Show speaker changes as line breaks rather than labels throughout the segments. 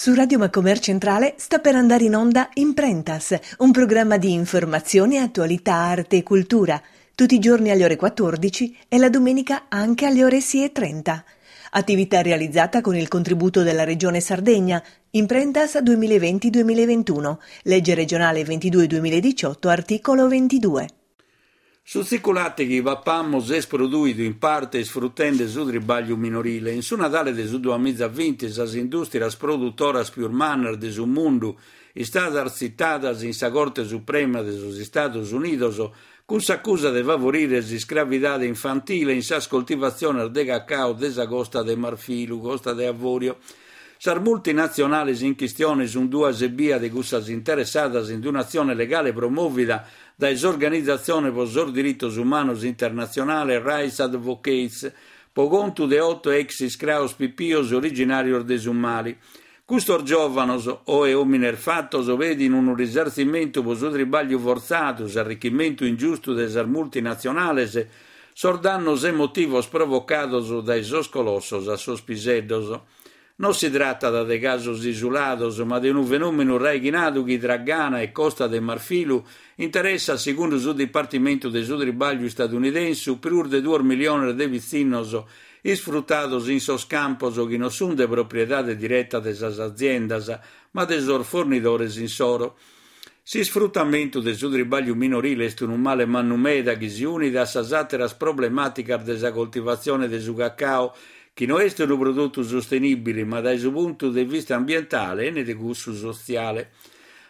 Su Radio Macomer Centrale sta per andare in onda Imprentas, un programma di informazione, attualità, arte e cultura, tutti i giorni alle ore 14 e la domenica anche alle ore 6.30. Attività realizzata con il contributo della Regione Sardegna, Imprentas 2020-2021, legge regionale 22-2018, articolo 22.
Su tziculate chi papamus est prodùidu in parte isfrutende su tribàgliu minorile. In su Nadale de su duamizavinti sas indùstrias produtoras pius mannas de su mundu istadas tzitadas in sa Corte Suprema de sos Istados Unidos cun s'acusa de favorire s'iscravidade infantile in sas coltivatziones de cacao de sa Costa de Marfilu, Costa de Avorio. Sas multinatzionales in chistione sunt duas ebbia de cussas interessadas in un'atzione legale promòvida dae s'organizatzione pro sos diritos umanos internatzionale Rights Advocates, pro contu de oto ex iscraos pipios originàrios de su Mali. Custos giòvanos, oe òmines fatos, pedin unu risartzimentu pro su tribàgliu fortzadu, s'arrichimentu ingiustu de sas multinatzionales, sos dannos emotivos provocados dae sos colossos a sos piseddos. Non si tratat de casos isulados, ma de unu fenòmenu raighinadu chi tra Ghana e Costa de Marfilu interessat, segundu su Dipartimentu de su Tribàgliu istadunidensu, prus de duos miliones de pitzinnos isfrutados in sos campos chi non sunt de propriedade direta de sas aziendas, ma de sos fornidores insoro. S'isfrutamentu de su tribàgliu minorile est unu male mannu meda chi si unit a sas àteras problemàticas de sa coltivatzione de su cacao, chi no est unu produtu sustenìbile ma dae su puntu de vista ambientale e ne de cussu sotziale.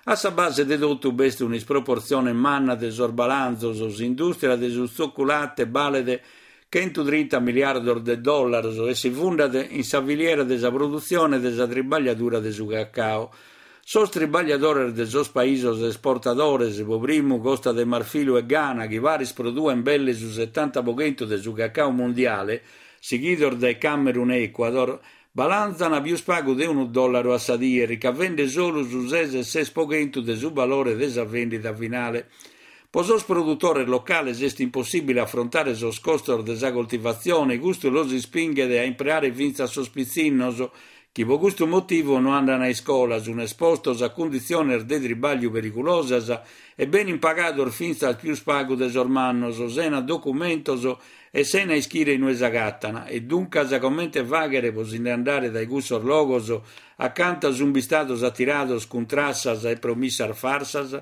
A sa base de totu b'est un'isproportzione manna de sos balanzos, s'indùstria de su tzoculate balet chentutrinta miliardos de dòllaros e si fundat in sa filiera de sa produtzione de sa tribagliadura de su cacao. Sos tribagliadores de sos paisos esportadores, pro primu Costa de Marfilu e Ghana, chi paris produen belle su setanta pro chentu de su cacao mundiale, sighidos dae Camerun e Ecuador, balanzan pius pagu de unu dòllaru a sa die, ricavende solu su ses e ses pro chentu de su balore de sa vèndida finale. Pro sos produtores locales est impossìbile afrontare sos costos de sa coltivatzione, custu los ispinghet a impreare fintzas sos pitzinnos, chi pro custu motivu no andan a iscola, sun espostos a cunditziones de tribàgliu perigulosas e benin pagados fintzas pius pagu de sos mannos, sena documentos e sena ischire inue s'agatan, e duncas comente fàghere pro si nde andare dae cussos logos acanta sun bistados atirados cun trassas e promissas farsas?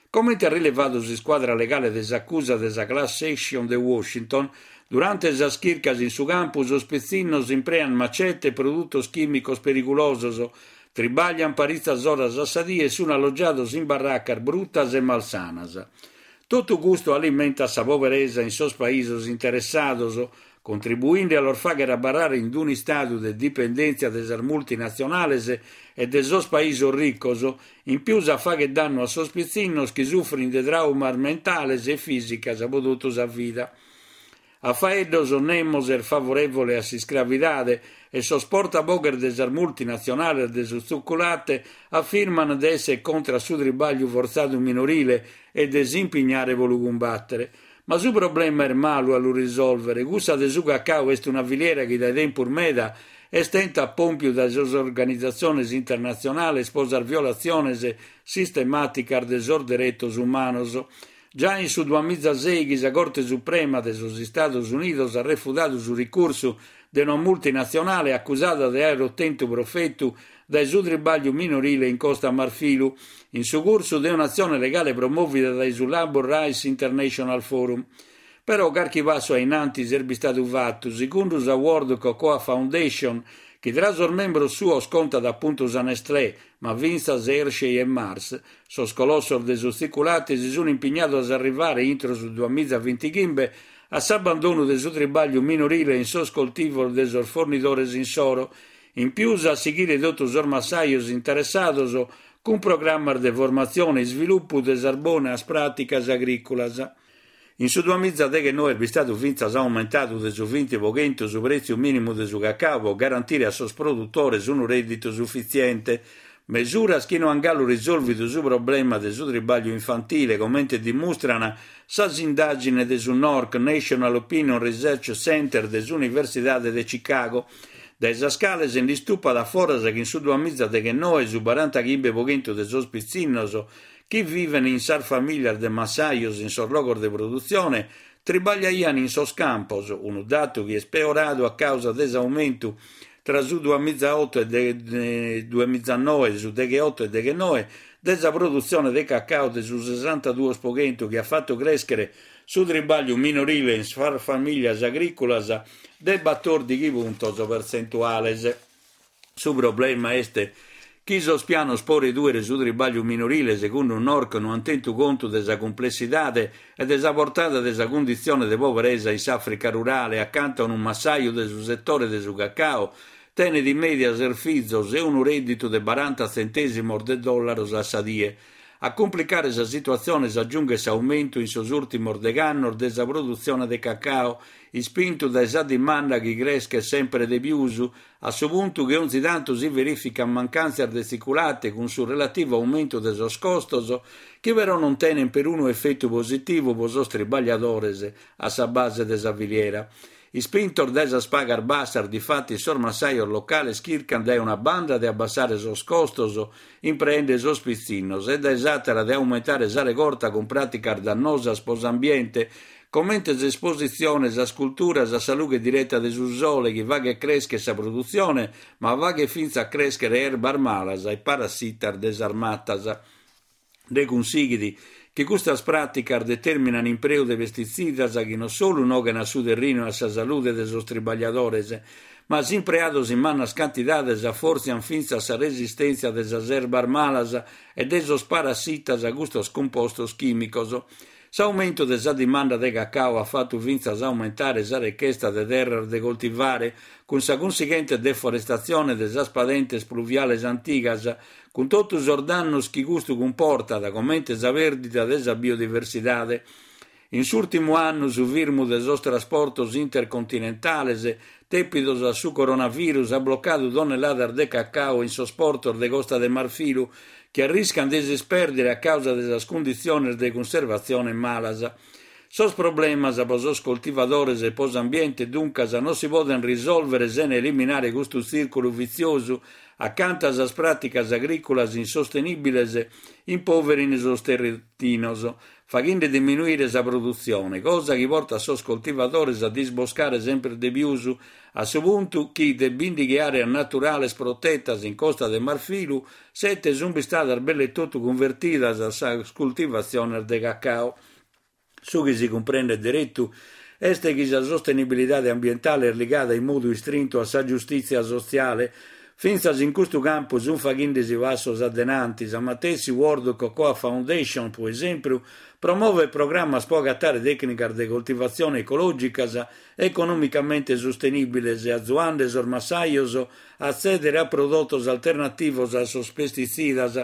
Comente at rilevadu s'iscuadra legale de s'acusa de sa Class Action de Washington, durante sas chircas in su campu sos pitzinnos imprean macete e produtos chìmicos perigulosos, tribaglian paritzas oras a sa die e sun allogiados in barracas brutas e malsanas. Totu custu alimentat sa poberesa in sos paisos interessados, contribuinde a los fàghere abarrare in un'istadu de dipendèntzia de sas multinatzionales e de sos paisos ricos, in pius a fàghere dannu a sos pitzinnos chi sufrin de tràumas mentales e fìsicas pro totu sa vida. A faeddos nemos est favorèvole a s'iscravidade e sos portaboghes de sas multinatzionales de su tzuculate afirman de èssere contra a su tribàgliu fortzadu minorile e de s'impignare pro lu cumbàtere. Ma su problema est malu a lu risòlvere, cussa de su cacao est una filiera chi dae tempus meda est tenta a pòmpiu dae sas organizatziones internatzionales pro sas violatziones sistemàticas de sos deretos umanos. Giai in su duamizasèighi sa Corte Suprema de sos Istados Unidos at refudadu su ricursu de una multinatzionale acusada de àere otentu profetu dae su tribàgliu minorile in Costa Marfilu, in su cursu de un'atzione legale promòvida dae su Labor Rights International Forum. Però carchi passu a in antis est bistadu fatu, segundu sa World Cocoa Foundation, chi tra sos membros suos contat apuntu sa Nestlé, ma fintzas Hershey e Mars, sos colossos de su tziculate si sunt impignados a arrivare intro su duamizavintighimbe a s'abbandonu de su tribàgliu minorile in sos coltivos de sos fornidores insoro, In pius a sighire totu sos massajos interessados cun programmas de formatzione e isvilupu de sas bonas pràticas agrìculas. In su duamizadeghennoe est bistadu fintzas aumentadu de su vinti pro chentu su prètziu mìnimu de su cacao pro garantire a sos produtores unu rèdditu sufitziente, mesuras chi no ant galu risòlvidu su problema de su tribàgliu infantile, comente dimustran sas indàgines de su NORC, National Opinion Research Center de s'Universidade de Chicago. dae sas cales nd'istupat a foras chi in su duamizadeghennoe su barantachimbe pro chentu de sos pitzinnos chi viven in sas famìlias de massajos in sos logos de produtzione tribagliaian in sos campos, unu datu chi est peoradu a càusa de s'aumentu tra su duamizaoto e duamizanoe, su degheoto e deghennoe, de sa produtzione de cacao de su sesantaduos pro chentu chi at fatu crèschere su tribagliu minorile in sas famìlias agrìculas de batòrdighi puntos pertzentuales. Su problema est chi sos pianos pro redùere su tribagliu minorile segundu NORC no ant tentu contu de sa cumplessidade e de sa portada de sa cunditzione de poberesa in s'Àfrica rurale acanta unu massaju de su setore de su cacao tenet in mèdia ses fizos e unu rèdditu de baranta tzentèsimos de dòllaros a sa die. A cumplicare sa situatzione s'agiunghet s'aumentu in sos ùrtimos degh'annos de sa produtzione de cacao, ispintu dae sa dimanda chi creschet semper de pius, a su puntu chi onzi tantu si verìficant mancàntzias de tziculate cun su relativu aumentu de sos costos, chi però non tenent perunu efetu positivu pro sos tribagliadores a sa base de sa filiera. Ispintos dae sas pagas bassas, difatis, sos massajos locales chircant dae una banda de abbassare sos costos impreende sos pitzinnos e dae s'àtera de aumentare sa regorta cun pràticas dannosas pro s'ambiente, comente s'espositzione sas culturas a sa lughe direta de su sole chi faghet crèschere sa produtzione ma faghet fintzas crèschere erbas malas e parassitas de sas matas. Nde cunsighit chi custas pràticas determinan impreu de pestitzidas chi non solu noghen a su terrinu e a sa salude de sos tribagliadores, ma si impreados in mannas cantidades afòrtzian fintzas sa resistèntzia de sas erbas malas e de sos parassitas a custos cumpostos chìmicos. S'aumentu de sa dimanda de cacao at fatu fintzas aumentare sa rechesta de terras de coltivare, cun sa cunsighente deforestatzione de sas padentes pluviales antigas, cun totu sos dannos chi custu cumportat, comente sa pèrdida de sa biodiversidade. In s'ùrtimu annu su firmu de sos trasportos intercontinentales, tèpidos a su coronavirus, at blocadu tonnelladas de cacao in sos portos de Costa de Marfilu, chi arriscant de s'ispèrdere a càusa de sas cunditziones de cunservatzione malas. Sos problemas pro sos coltivadores e pro s'ambiente, duncas, non si podent risòlvere sena eliminare custu tzìrculu vitziosu acanta sas pràticas agrìculas insostenìbiles impoverin sos terrinos, faghende diminuire sa produtzione, cosa chi portat sos coltivadores a disboscare semper de pius, a su puntu chi de bìndighi àreas naturales protetas in Costa de Marfilu, sete sunt bistadas belle totu cunvertidas a sas cultivatziones de cacao. Su chi si cumprendet deretu est chi sa sostenibilidade ambientale est ligada in modu istrintu a sa giustìtzia sotziale. Fintzas in custu campu sunt faghende-si passos a denanti. Sa matessi World Cocoa Foundation, pro esempru, promovet programmas pro agatare tècnicas de coltivatzione ecològicas economicamente sustenìbiles, azuande sos massajos a atzèdere a prodotos alternativos a sos pestitzidas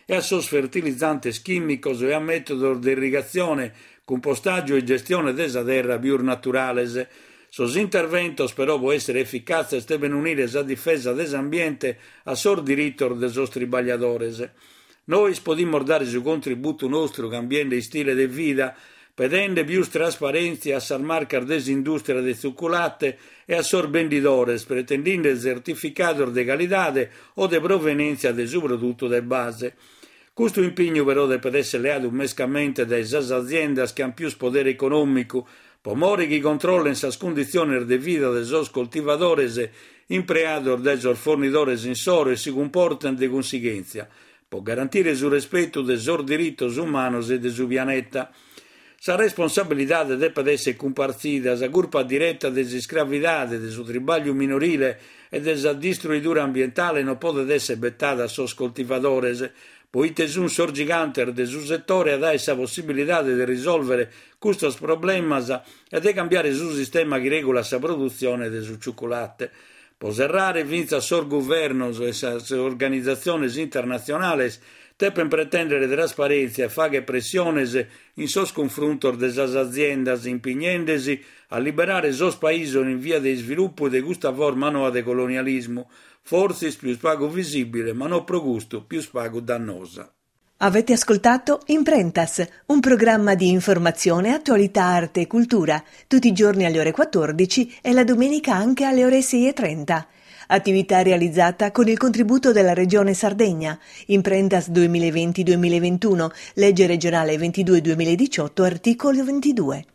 e a sos fertilizantes chìmicos e a mètodos de irrigatzione, cumpostàgiu e gestione de sa terra pius naturales. Sos interventos, però, pro èssere eficatzes deven unire sa difesa de s'ambiente a sos diritos de sos tribagliadores. Nois podimus dare su contributu nostru cambiende istile de vida, pedende pius trasparèntzia a sas marcas de s'indùstria de tzuculate e a sos bendidores, pretendinde tzertificados de calidade o de provenèntzia de su produtu de base. Custu impignu però depet èssere leadu mescamente dae sas aziendas chi ant pius podere econòmicu, pro more chi controllen sas cunditziones de vida de sos coltivadores impreados dae sos fornidores insoro e si cumportent de cunsighèntzia, pro garantire su respetu de sos diritos umanos e de su pianeta. Sa responsabilidade depet èssere cumpartzida, sa curpa direta de s'iscravidade, de su tribàgliu minorile e de sa distruidura ambientale non podet èssere betada a sos coltivadores, proite sunt sos gigantes de su setore ad àere sa possibilidade de risòlvere custos problemas e de cambiare su sistema chi règulat sa produtzione de su tzuculate. Pro serrare, fintzas sos guvernos e sas organizatziones internatzionales depent pretèndere trasparèntzia e fàghere pressiones in sos cunfruntos de sas aziendas, impignende-si a liberare sos paisos in via de isvilupu de custa forma noa de colonialismu, fortzis pius pagu visìbile, ma no pro custu pius pagu dannosa.
Avete ascoltato Imprentas, un programma di informazione, attualità, arte e cultura, tutti i giorni alle ore 14 e la domenica anche alle ore 6.30. Attività realizzata con il contributo della Regione Sardegna. Imprentas 2020-2021, legge regionale 22-2018, articolo 22.